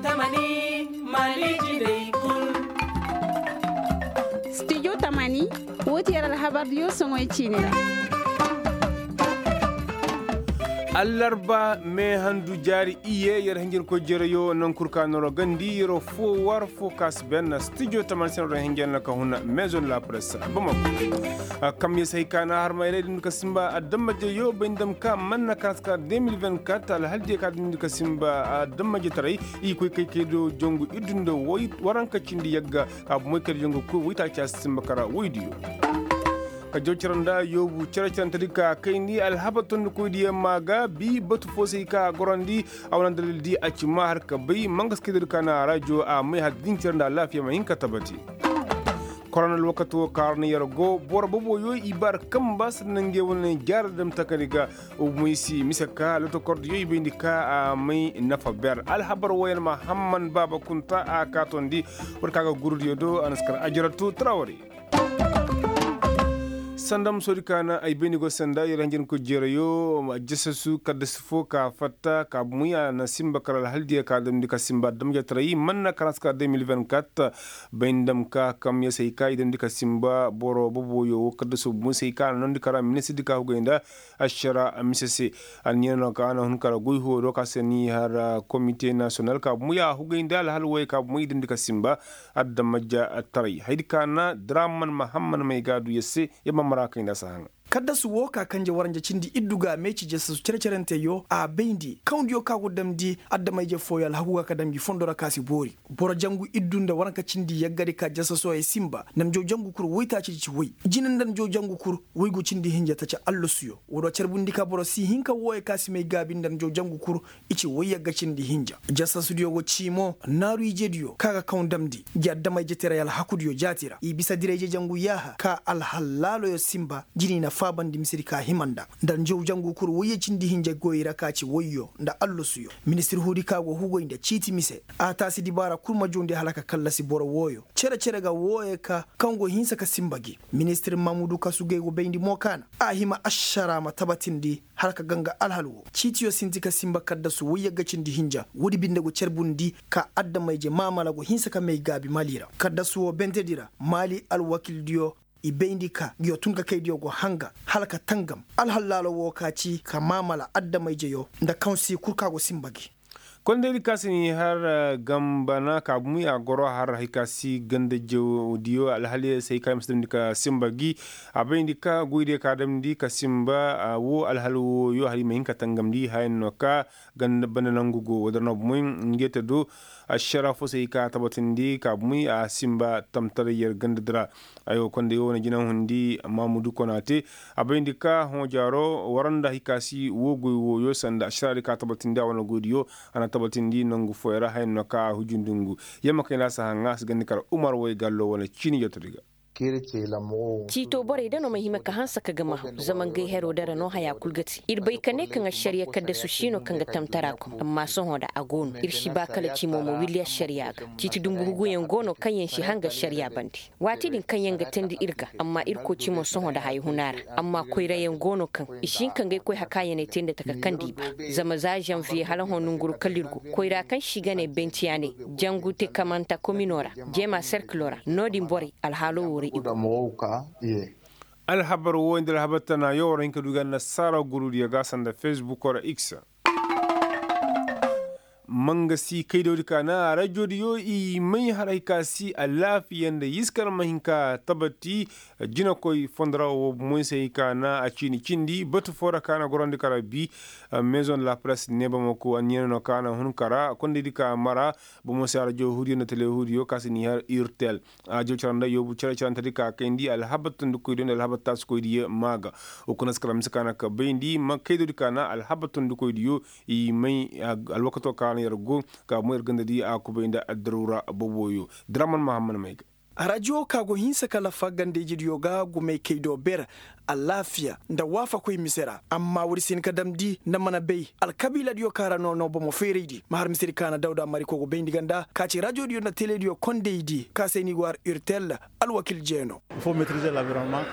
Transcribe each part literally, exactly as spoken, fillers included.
Tamani, mali jiney kul. Stijo tamani, woo ti yer alhabardiyo soŋoy ciini ra. Allarba mee handu jaari iye yer hinjankoy jereyo naŋ kul ka noro gandi yer foo war foo ka si ben stijo tamani se noro hinjan na ka huna maison la presse bamako. Kam yer se hay ka na harmayray din ka simba adammajeyo bay ndam ka manna ka si ka deux mille vingt-quatre alhaldiyo ka din ka simba adammaje taray. I koy kay kay do jangu iddu nda waranka cindi yagga. Ka bumoy kay do jangu koy waytaaci a si simba kara woydiyo. Ka jaw cere nda yoobu cere cerante di ka kayndi alhabar tondikoydiyo maa ga bi batu fo se i ka a gorandi. A wane dalil di a ci maa har ka bay mangas kay do di ka na a rajo a may har din cere nda alaafiya ma hin ka tabati. Korona alwakato ka ra na yer go boro boboyo i bar kamba sanda ngey wane jaara dam takandi ga. Moysi mise ka lotokordiyo i bayndi ka a may nafa ber alhabar wooyaŋ ma hamman baaba kunta a kaatondi. War ka ga gurudiyo do a na si kar ajaratu tarawari. Sanda musoodi ka na ay bayndi go sanda yer hanjankoy jereyo. Jasasu kaddasi fo ka fatta ka bumuy a na simba kar alhaldiyo ka damndi ka simba damjataray manna kar a si ka deux mille vingt-quatre. Bay ndam ka kam ya say ka i damndi ka simba boro boboyo wo kaddaso bumuy say ka a na noondi kar a ministirdi ka hugay nda. Ašara mise se. Anniya no ka a na hun kar goy hoodo ka se ni har komite nasiyonal ka bumuy a hugay nda alhal wooyo ka bumuy i damndi ka simba. Adda majja taray haydi ka na draman mahamman may ga a du yer se. Yer ma mara kay nda si a haŋa. Kaddasu woo ka kanje waranja cindi iddu ga a meeci jasasu cere-cerenteyo a bayndi kawndiyo ka go damndi. Adama-ije fooyo alhaku ga ka dam ngi fondo ra ka si boori. Boro jangu iddu nda waranka cindi yaggadi ka jasasooyo simba nda njaw jangu kur woytaacidi ci woy. Jine nda njaw jangu kur woy go cindi hinja taca allasuyo woo do carbundi ka boro si hin ka wooyo ka si may gaabi nda njaw jangu kur. I ci woy yagga cindi hinja. Jasasudiyo go ci mo naaru ijediyo ka ga kaw damndi ngi adama-ije teray alhakudiyo jaati ra i bisa dirayje jangu yaaha ka alhallaaloyo simba. Jini na faabandi misedi ka hima nda nda njaw jangu kul woyye cindi hinja goy ra ka ci woyyo nda allasuyo. Ministir huudi ka go hugoy nda ciiti mise a taasi dibaara kul ma joondi hala ka kallasi boro wooyo. Cere-cere ga wooyo ka kaŋ go hinsa ka simba gi. Ministir mamudu kasu gay go bayndi mo ka na a hima ašara ma tabatindi hala ka ganga alhal woo ciitiyo sinti ka simba kaddasu woy yagga cindi hinja woodi binde go carbundi ka adama-ije maamala go hinsa ka may gaabi mali ra kaddasu woo bentedi ra mali alwakildiyo. I bayndi ka nguyo tunkakaydiyo go hanga hala ka tangam alhallaalo woo ka ci ka maamala adama-ijeyo nda kaŋ si kul ka go simba gi. Kondaydi ka si ni har gambana ka bumuy a goro har hay ka si ganda jawdiyo alhaliyo se hay ka ay ma si damndi ka simba gi. A bayndi ka goydiyo ka damndi ka simba woo alhal wooyo hala i ma hin ka tangamndi haya no ka ganda banda nangu go woo da ra no bumuy. Ngey te do ašara fo se hay ka tabatindi ka bumuy a simba tamtaray yer gandadi ra. Aywa konday woo wane jinahundi mamudu kona te a bayndi ka hõ jaaro waranda hay ka si woo goy wooyo sanda ašaraadi ka tabatindi a wane goydiyo. A na tabatindi nangu fooyaŋ ra haya no ka a hujundi ngu. Yamma kay nda a si haŋa a si gandi kar umar woy gallo wane ciini jotodi ga. Ciito borey da no ma hima ka hanse ka ga mahaw zama ngey hero dara no haya kul ga te ir bay ka ne kaŋ ašariya kaddasu si no kaŋ ga tamtara kom amma sohõ da a go no ir si ba kala cimo ma willi ašariya ga. Ciiti dumbu huguyaŋ go no kaŋ yaŋ si hanga ašariya bande. Waati din kaŋ yaŋ ga teendi ir ga amma ir koo cimo sohõ da haya huna ra. Amma koyrayaŋ go no kaŋ i si hin ka ngey koy hakaayaney teendi taka kaŋ di i ba. Zama za zanviye hala hõ nonguru kala ir go koyra kaŋ se i ga ne bentiyaaney jangu te kamanta komino ra jeema serkilo ra no-din borey alhaalo woo ra i go. Alhabar woo nda alhabar tana yoo war hin ka du ga annasaara gurudiyo ga sanda fesbuko ra x. Mangasi kaydawdi ka na rajodiyo i may haray ka si alaafiya nda yiskar ma hin ka tabati. Jinakoy fondo ra woo moy se hin ka na a ciini cindi batu foo ra ka na gorandi kara bi. Maison de la presse ne bamako anniya no ka na hun kara kondaydi ka mara. Bomo se arajo huudiyo nda tele huudiyo ka si ni har urtel. Arajo caranda yoobu cere carantedi ka kayndi alhabar tondikoydiyo nda alhabar taasikoydiyo maa ga. Wo kuna si kala mise ka na ka bayndi ma kaydodi ka na alhabar tondikoydiyo. I may alwakato ka na yer go ka mo yer gandadi a kubay nda addaruura boboyo. Draman mahamman may ga. Arajo ka go hinsa ka lafa ganda-ijediyo ga gumey kay do ber, alaafiya nda waafakoy mise ra. Amma woodi si hin ka damndi nda mana bay alkabiiladiyo ka ra no no bomo feeraydi ma har misedi ka na dawda mariko go bayndi ganda ka ci rajodiyo nda telediyo kondaydi ka se ni go har urtel. Alwakil jeeno.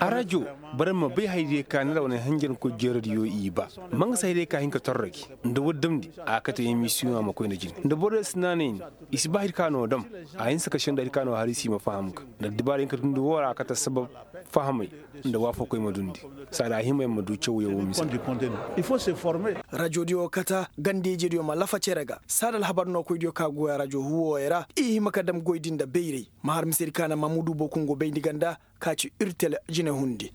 Arajo, boro ma bay hayadiyo ka ni ra wane hanjankoy jeeradiyo i ba. Ma nga se hayadiyo ka hin ka torro gi nda woodi damndi a kate emisiyoŋ a ma koy nda jine nda boro si naanay ni. I si ba hari ka no dam. A hinsa ka senda hari ka no hari si ma faham ga nda dibaara hin ka dundi woo ra a kate sabab fahamay nda waafakoy ma dundi. Saada a hima yer ma du cawyaŋ wo mise. Rajodiyo kata ganda-ijediyo ma lafa cere ga saada alhabar nookoydiyo ka goy arajo huwooyo ra i hima ka dam goydi nda bayray. Ma har misedi ka na mamudu bokungo bayndi ganda ka ci urtel jine hundi.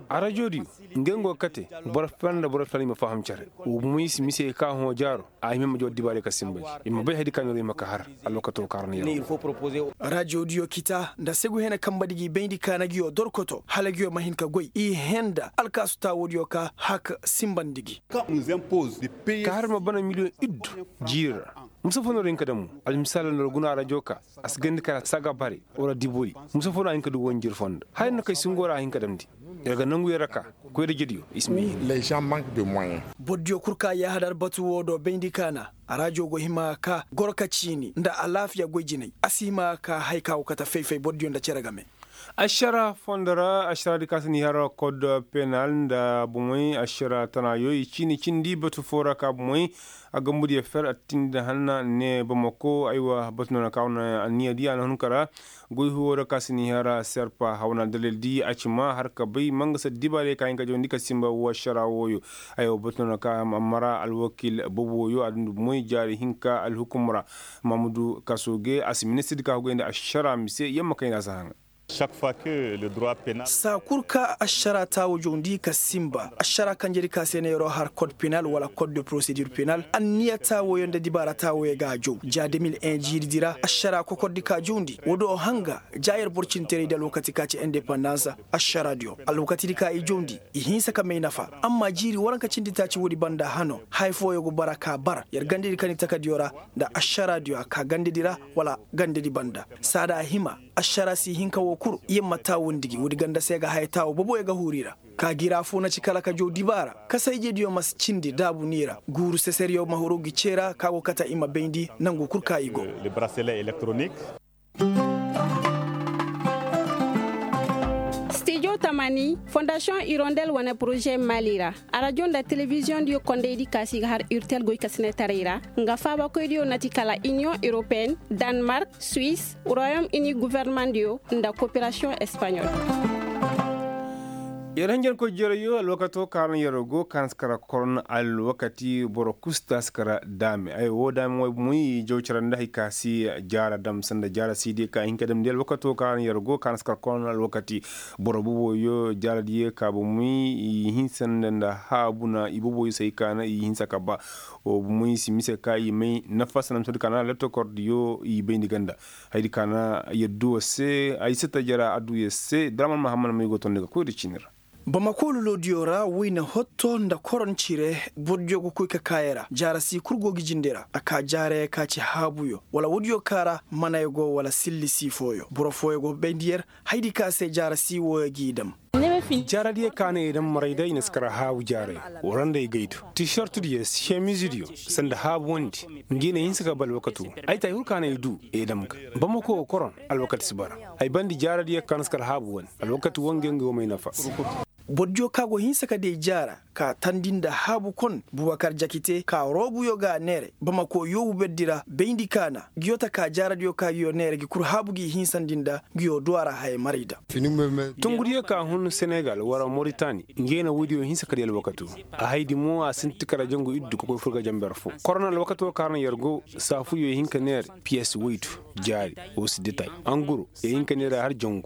Arajodiyo, ngey ngo kate boro fela nda boro fela i ma faham cere. Wo bomoy si mise ka hõ jaaro. A hima ma jaw dibaarey ka sinba gi i ma bay haydi ka no ra i ma ka har. Alwakato ka ra na yar. Rajodiyo kita nda segu hene kambadi gi bayndi ka na ngiyo dorkoto hala ngiyo ma hin ka goy i henda alkaasu taawoodiyo ka hak sinbandi gi. Ka har ma bana miliyoŋ iddu jiiri ra. Musa fo no ra hin ka damu almisaala no ra guna arajo ka a si gandi kara saga bare wala dibori. Musa fo no a hin ka du wanjir fondo haya no kay singo ra a hin ka damndi. Yer ga nangu yer ra ka koy da jediyo i si ma hin. Borodiyo kul ka yaahadar batu woo do bayndi ka na arajo go hima ka goro ka ciini nda alaafiya goy jinay a si hima ka haya ka go kate fay-fay borodiyo nda cere game. Ašara fondo ra ašara di ka si ni har kod penal nda bomey ašara tanayo i ciini cindi batu foo ra ka bomey. A gambudiyo fer a tindi hanna ne bamako aywa batu no na ka wane anniya di a na hun kara. Goy huwo ra ka si ni har serpa haw na dalil di a ci ma har ka bay ma nga se dibaarey ka hin ka jawandi ka sinba woo ašara wooyo. Aywa batu no na ka mara alwakil bobo wooyo a dundi bomey jaari hinka alhukum ra. Mamudu kaso ge a si ministir di ka hugay nda ašara mise yamma kayna si haŋa. Saa kul ka ašara taawo jawndi ka sinba ašara kanjedi ka se ne yeroo har kod penal wala kod de prosedur penal anniya taawoyo nda dibaara taawoyo ga a jaw ja de mil en jiiridi ra ašara kokordi ka jawndi woo do hanga ja yer boro cinteraydi alwakati ka ci indepandans. Ašaradiyo alwakatidi ka i jawndi i hinsa ka may nafa. Amma jiiri waranka cindi taaci woodi banda hano haya fooyo go bara ka bar yer gandedi ka ni takadiyo ra nda ašaradiyo a ka gandedi ra wala gandedi banda. Saada a hima ašara si hin ka woo kul yer ma taawundi gi woodi ganda se ga haya taawo boboyo ga huuri ra. Ka gira foo na ci kala ka jaw dibaara kasa-ijediyo ma si cindi daabu ni ra guuru seseriyo ma huru gi cee ra ka go kate i ma bayndi nangu kul ka i go. Stijo tamani fondasiyoŋ irondel wane poroze mali ra. Arajo nda telebiziyoŋdiyo kondaydi ka si ga har urtel goykasinetaray ra nga faabakoydiyo na ti kala iniyoŋ europeyen, danmark, suwis, royom ini gofornemandiyo nda koperasiyoŋ espaɲol. Yer hanjankoy jerayyo alwakato ka ra no yer go ka na si kara koron alwakati boro kusta si kara daame ay woo daame way bomoy jaw cara nda hay ka si jaara dam sanda jaara sidiyo ka hin ka damndi alwakato ka ra no yer go ka na si kara koron alwakati. Boro boboyo jaaradiyo ka bomoy i hinsa nda nda haabu na i boboyo se hay ka na i hinsa ka ba. Bomoy si mise ka i may nafa sanda mise di ka na lettokordiyo i bayndi ganda. Haydi ka na yaddu wo se ay si ta jara adduya se draman mahammad may go tondi ga koy da ciini ra. Bamako lolodiyo ra wayna hotto nda koron cire bordiyo ga koy ka kaaya ra jaara si kul go ga jinde ra a ka jaaraya ka ci haabuyo wala woodiyo ka ra manaya go wala silli si fooyo boro fooyo go bayndi yer. Haydi ka se jaara si wooyo g'i dam. Jaaradiyo ka na i dam maray da i na si kara haabu jaaraya wala nda i gaydu tisortudiyo semizidiyo sanda haabu wandi. Ngi na hinsa ka ba alwakatu ay ta ay hurka na i du i dam ga bamako koron. Alwakati si bara ay bandi jaaradiyo ka na si kara haabu wandi alwakati woo ngi ngi woo may nafa. Bordiyo ka go hinsa ka day jaara ka tandi nda haabu kon bubakar jakite ka roobuyo ga neere bamako yoobu berdi ra bayndi ka na ngiyo taka jaaradiyo ka ngiyo neere gi kul haabu gi hinsandi nda ngiyo duw'a ra haya maray da. Tungudiyo ka hun senegal wara moritani nge na woodiyo hinsa ka di alwakato. A haydi mo a sinti kara jangu iddu ka koy fur ga janber fo korona alwakato ka ra na yer go saafuyo ihinka neere piyes woydu jaari wo si ditay anguro ihinka neere har jangu.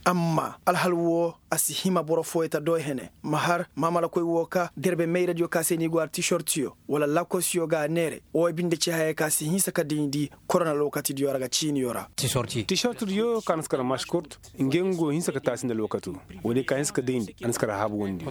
Amma alhal wo a si hima boro fooyo ta do hene ma har maamalakoy wo ka derbe mayradiyo ka se ni go har tisortiyo wala lakosiyo ga a neere wo binde ci hayey ka si hinsa ka dayndi korona lokatidiyo ra ga ciiniyo ra. Tisortidiyo ka na si kar maskurt nge ngo hinsa ka taasi nda lokato woodiyo ka hinsa ka dayndi a na si kar haabu wondi.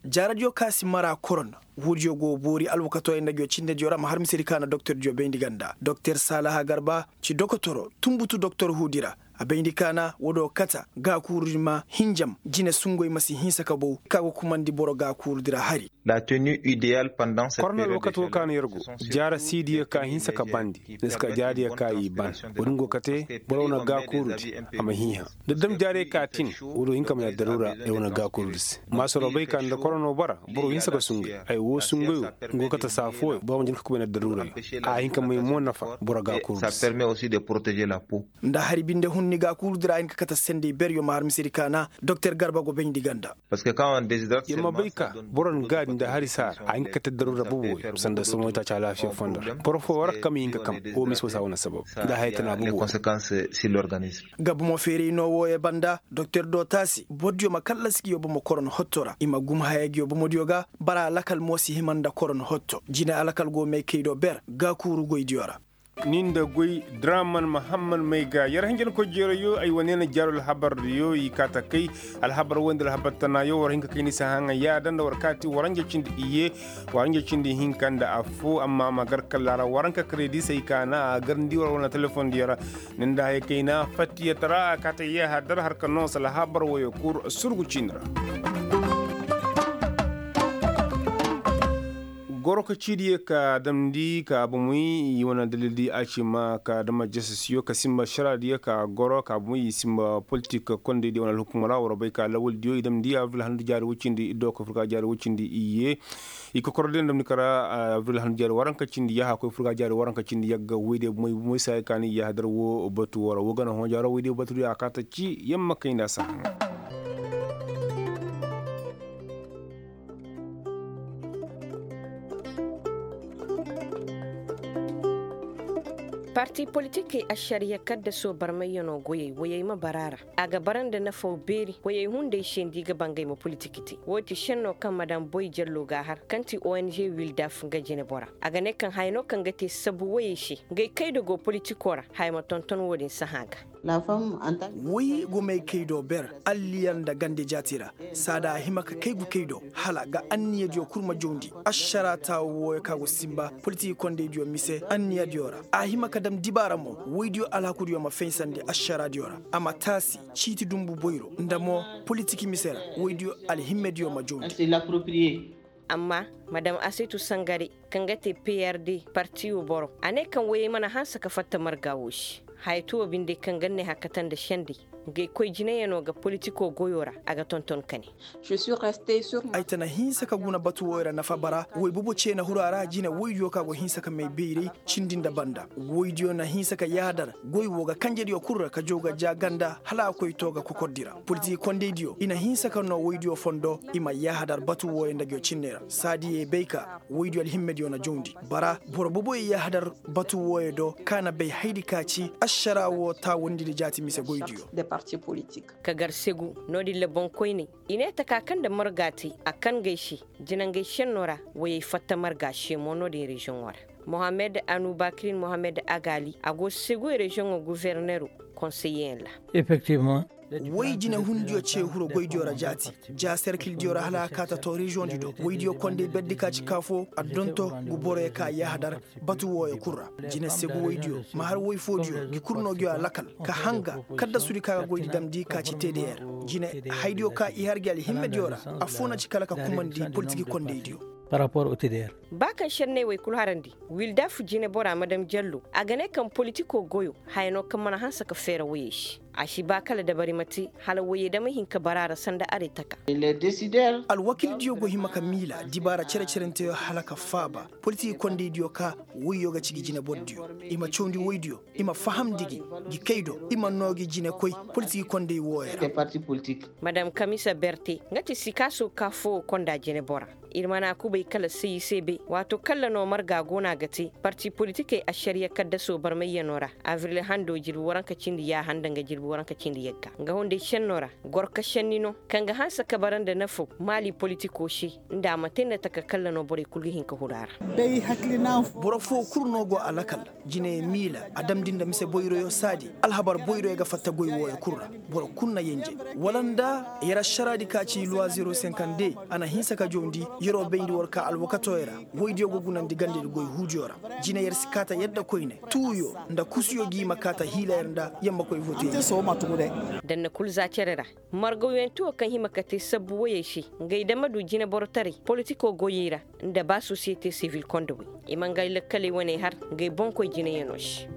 Jaaradiyo ka si mara korona woodiyo go boori alwakatoyaŋ nda ngiyo cindediyo ra ma har misedi ka na doktordiyo bayndi ganda doktor saalaha garba ci dokotoro tunbutu doktor huudi ra. A bayndi kaana wo do kata gaakuurudi ma hinjam jine sungoy ma si hinsa ka bow ka go kumandi boro gaakuurudi ra hari. La tenue ideal pendant cette période de chaleur. Korona lokato kaana yer go jaara siidiyo ka hinsa ka bandi ni si ka jaariyo ka i ban. Wo-din go kate boro wane gaakuurudi a ma hiiha da dam jaariyo ka tin wo do hin ka ma yer daruura yer wane gaakuurudi se. Maasoro bay ka nda korono bara boro hinsa ka sungay ay wo sungayo. Nga go kate saa fooyo boro ma jin ka kubay nda daruurayo. A hin ka may mo nafa boro gaakuurudi se. Nda hari binde hun ni gaakuurudi ra a hin ka kate senday beryo ma har misedi kaana doktor garba go bayndi ganda. Yer ma bay ka boro na gaadi nda hari saara a hin ka kate daruura boboyo sanda somoytaaci alaafiya fondo ra boro foo war kam i hin ka kam. Wo mise wo saa wane sabab nda haya tana boboyo. Ga bomo feeray no wooyo banda doktor do taasi bordiyo ma kallasi ka yoo bomo koron hotto ra i ma gum haya ga yoo bomodiyo ga. Bara alakal mo si hima nda koron hotto jine alakal go may kay do ber gaakuuru goydiyo ra. Ni nda goy draman mahammad may ga yer hanjankoy jeerayo ay wane na jaaro alhabardiyo i kaa ta kay. Alhabar woy nda alhabar tanaayo war hin ka kay ni si haŋa yaada nda war kaati waranja cindi iyye. Waranja cindi hinka nda affo amma ma gar kalla ra waranka kredi se ay kaana a gar ni di war wane telefondiyo ra. Ni nda haya kayna fattiya tara a kaata yahadar har ka noo sala habar woyo kul surgu ciini ra. Goro ka ciidiyo ka damndi ka bomoy i wane dalildi a ci ma ka dama jasasiyo ka simba šaradiyo ka goro ka bomoy i simba politik kondaydiyo wane alhukumo ra war bay ka lawaldiyo i damndi abril handu jaari woy cindi iddo ka fur ka jaari woy cindi iyye. I kokoro din damndi kara abril handu jaari waranka cindi yaaha koy fur ka jaari waranka cindi yagga woydiyo bomoy bomoy se haya ka ni yahadar wo batu wo ra wo gana hõ jaaro woydiyo batudiyo a kaata ci yamma kay nda a si haŋa. Parti politikey ašariya kaddasoo barmayyanoo goyey woyey ma bara a ra. A ga bara nda nafaw beeri woyey hunday se nda i ga ba ngey ma politik te woo ti šennoo kaŋ madam boy jallo g'a har kaŋ ti ong wildaf nga jinebora. A ga ne kaŋ haya no kaŋ ga te sabu woyey se ngey kaydo go politikoo ra haya ma tonton woo din sahã ga. Woy go may kay do ber alliyan nda gande jaati ra. Saada a hima ka kay gu kay do hala ga anniyadiyo kul ma jawndi ašara taawo wooyo ka go sinba politik kondaydiyo mise anniyadiyo ra. A hima ka dam dibaara mo woydiyo alhakudiyo ma faysandi ašaraadiyo ra. A ma taasi ciiti dunbu boyro nda mo politik mise ra. Woydiyo alhimmediyo ma jawndi. Amma madam asetu sangare kaŋ ga te prd partiyo boro a ne kaŋ woyey mana hanse ka fatta marga woo se. Haya too binde kaŋ ga ne hakata nda sendey ngey koy jinayanoo ga politikoo goyoo ra. A ga tonton ka ne. Ay ta na hinsa ka guna batu wooyo ra nafa bara woy bobo cee na huru a ra jine woydiyo ka go hinsa ka may bayray cindi nda banda. Woydiyo na hinsa ka yaadar goy woo ga kanjediyo kul ra ka jaw ga ja ganda hala a koy too ga kokordi ra politik kondaydiyo i na hinsa ka noo woydiyo fondo. I ma yaadar batu wooyo nda nguyo cinney ra saadiyey bay ka woydiyo alhimmediyo na jawndi. Bara boro boboyo yaadar batu wooyo do ka na bay hayadi ka ci ašara woo taawandidi jaati mise goydiyo. Ka gar segu no-din ra boŋkoyney i ne taka kaŋ nda marga te a kangey se jinangey šennoo ra woyey fatta marga se mo no-din reziyoŋo ra. Mohammed anubakirin mohammed agali a go segu reziyoŋo guverneru konseyeyaŋ ra. Woy jinehundiyo ce huro goydiyo ra jaati ja serkildiyo ra hala a kaa ta to reziyoŋdi do woydiyo kondey berdi ka ci kaa fo a donto ngu boroyo ka yahadar batu wooyo kul ra. Jine segu woydiyo ma har woy foodiyo ngi kul no nguyo alakal ka hanga kaddasudi ka ga goydi damndi ka ci teder. Jine haydiyo ka i har gi alhimmediyo ra affoo na ci kala ka kumandi politiki kondaydiyo. Ba kaŋ šenney wey kul harandi wildaf jinebora madam jallo a ga ne kaŋ politikoo goyo haya no kaŋ mana hanse ka feera woyey se. A si ba kala dabari ma te hala woyey da ma hin ka bara a ra sanda aray taka. Alwakildiyo go hima ka miila dibaara cere-cerenteyo hala ka faaba politiki kondaydiyo ka woyyo ga ci gi jinebordiyo i ma cawndi woydiyo i ma fahamndi gi gi kay do i ma noo gi jinekoy politiki konday wooyo ra. Madam kamisa berte nga ti sikaaso ka foo konda jinebora. Ir mana kubay kala sayi se bay waato kalla no marga go no a ga te parti politikey ašariya kaddasoo barmayyanoo ra abril hando jirbi waranka cindi yaaha nda nga jirbi waranka cindi yagga nga hunday šennoo ra. Gorka šenni no kaŋ ga hanse ka bara nda nafaw maali politikoo se nda a ma te nda taka kalla no borey kul ga hin ka huru a ra. Boro foo kul no go a lakal jine miila a damndi nda mise boyroyo saadi alhabar boyroyo ga fatta goy wooyo kul ra. Boro kul na yenje wala nda yer ašaraadi ka ci luwa zero senkande a na hinsa ka jawndi. Yer'o bayndi war ka alwakatoo ya ra. Woydiyo go gunandi gandedi goy huudiyo ra. Jine yer si kaata yadda koyne tuuyo nda kusuyo g'i ma kaata hiila yer nda yammakoy vote. Danna kul za cere ra. Margawyanti wo kaŋ hima ka te sabbu woyey se, ngey dama du jineborotaray politikoo goyey ra, nda ba sosiyete sivil kondowey, i ma ngey lakkaley wane har ngey boŋkoy jineyanoo se.